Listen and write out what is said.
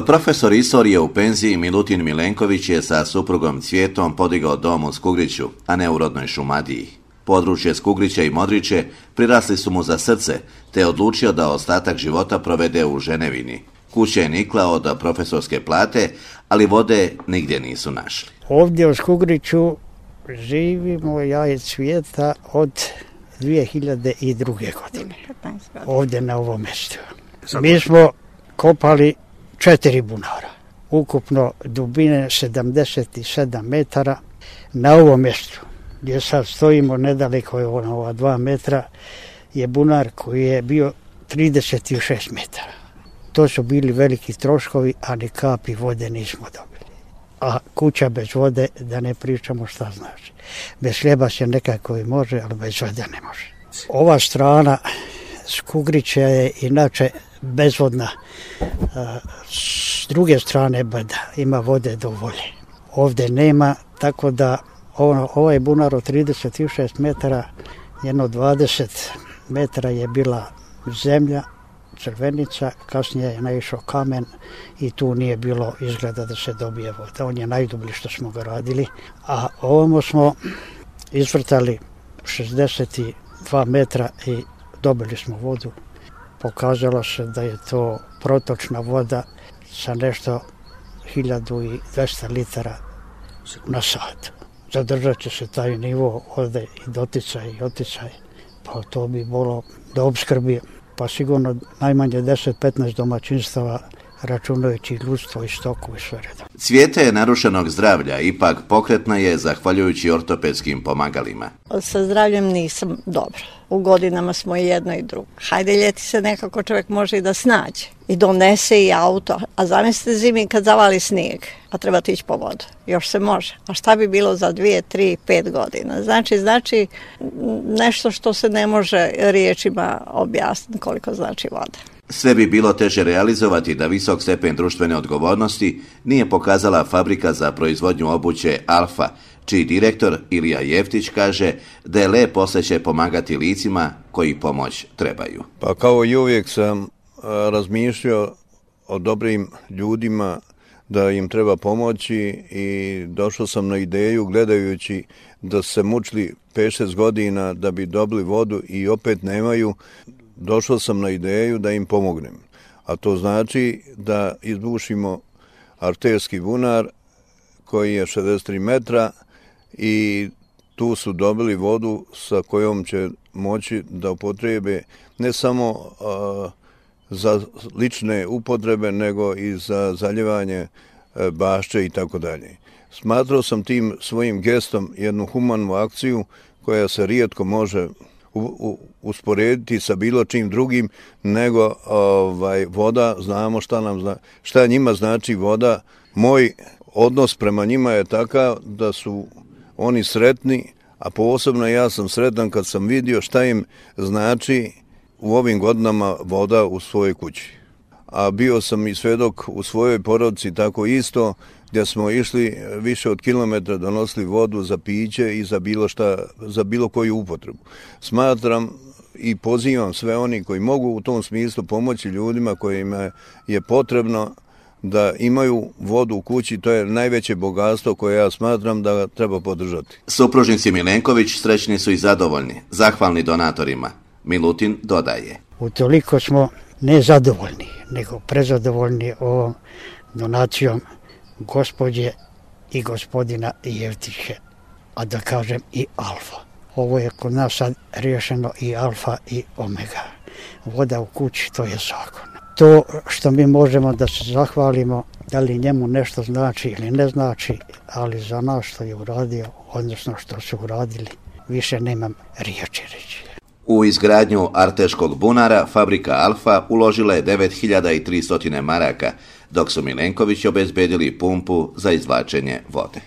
Profesor istorije u penziji Milutin Milenković je sa suprugom Cvjetom podigao dom u Skugriću, a ne u rodnoj Šumadiji. Područje Skugrića i Modriće prirasli su mu za srce, te je odlučio da ostatak života provede u Ženevini. Kuća je nikla od profesorske plate, ali vode nigdje nisu našli. Ovdje u Skugriću živimo ja i Cvjeta od 2002. godine. Ovdje na ovom mjestu. Mi smo kopali 4 bunara. Ukupno dubine 77 metara. Na ovom mjestu gdje sad stojimo nedaleko je ova 2 metra je bunar koji je bio 36 metara. To su bili veliki troškovi, a ni kapi vode nismo dobili. A kuća bez vode, da ne pričamo šta znači. Bez hljeba se nekako i može, ali bez vode ne može. Ova strana Skugrića je inače bezvodna. S druge strane brda ima vode do volje. Ovdje nema, tako da ovaj bunar od 36 metara, jedno 20 metara je bila zemlja, crvenica, kasnije je naišao kamen i tu nije bilo izgleda da se dobije voda. On je najdublji što smo ga radili, a ovamo smo izvrtali 62 metra i dobili smo vodu. Pokazalo se da je to protočna voda sa nešto 1200 litara na sat. Zadržat će se taj nivo ovdje i doticaj i oticaj, pa to bi bilo da opskrbi, pa sigurno najmanje 10-15 domaćinstava, računajući ljudstvo i stoku i sve redom. Cvjeta je narušenog zdravlja, ipak pokretna je zahvaljujući ortopedskim pomagalima. Sa zdravljem nisam dobro. U godinama smo i jedno i drugo. Hajde, ljeti se nekako čovjek može i da snađe. I donese i auto. A zamislite zimi kad zavali snijeg, a treba ići po vodu. Još se može. A šta bi bilo za 2, 3, 5 godina? Znači nešto što se ne može riječima objasniti koliko znači voda. Sve bi bilo teže realizovati da visok stepen društvene odgovornosti nije pokazala fabrika za proizvodnju obuće Alfa, čiji direktor Ilija Jeftić kaže da je lep osjećaj pomagati licima koji pomoć trebaju. Pa kao i uvijek sam razmišljao o dobrim ljudima da im treba pomoći i došao sam na ideju gledajući da se mučili 5-6 godina da bi dobili vodu i opet nemaju. Došao sam na ideju da im pomognem, a to znači da izbušimo arterski bunar koji je 63 metra i tu su dobili vodu sa kojom će moći da upotrebe ne samo za lične upotrebe, nego i za zaljevanje bašče i tako dalje. Smatrao sam tim svojim gestom jednu humanu akciju koja se rijetko može usporediti sa bilo čim drugim, nego voda, znamo šta njima znači voda. Moj odnos prema njima je takav da su oni sretni, a posebno ja sam sretan kad sam vidio šta im znači u ovim godinama voda u svojoj kući. A bio sam i svedok u svojoj porodici tako isto, gdje smo išli više od kilometra, donosili vodu za piće i za bilo koju upotrebu. Smatram i pozivam sve oni koji mogu u tom smislu pomoći ljudima kojima je potrebno da imaju vodu u kući. To je najveće bogatstvo koje ja smatram da treba podržati. Supružnici Milenković srećni su i zadovoljni, zahvalni donatorima. Milutin dodaje. Utoliko smo ne zadovoljni, nego prezadovoljni ovom donacijom gospođe i gospodina Jevtića, a da kažem i Alfa. Ovo je kod nas sad riješeno i Alfa i Omega. Voda u kući, to je zakon. To što mi možemo da se zahvalimo, da li njemu nešto znači ili ne znači, ali za nas što je uradio, odnosno što su uradili, više nemam riječi reći. U izgradnju arteškog bunara fabrika Alfa uložila je 9300 maraka, dok su Milenković obezbedili pumpu za izvlačenje vode.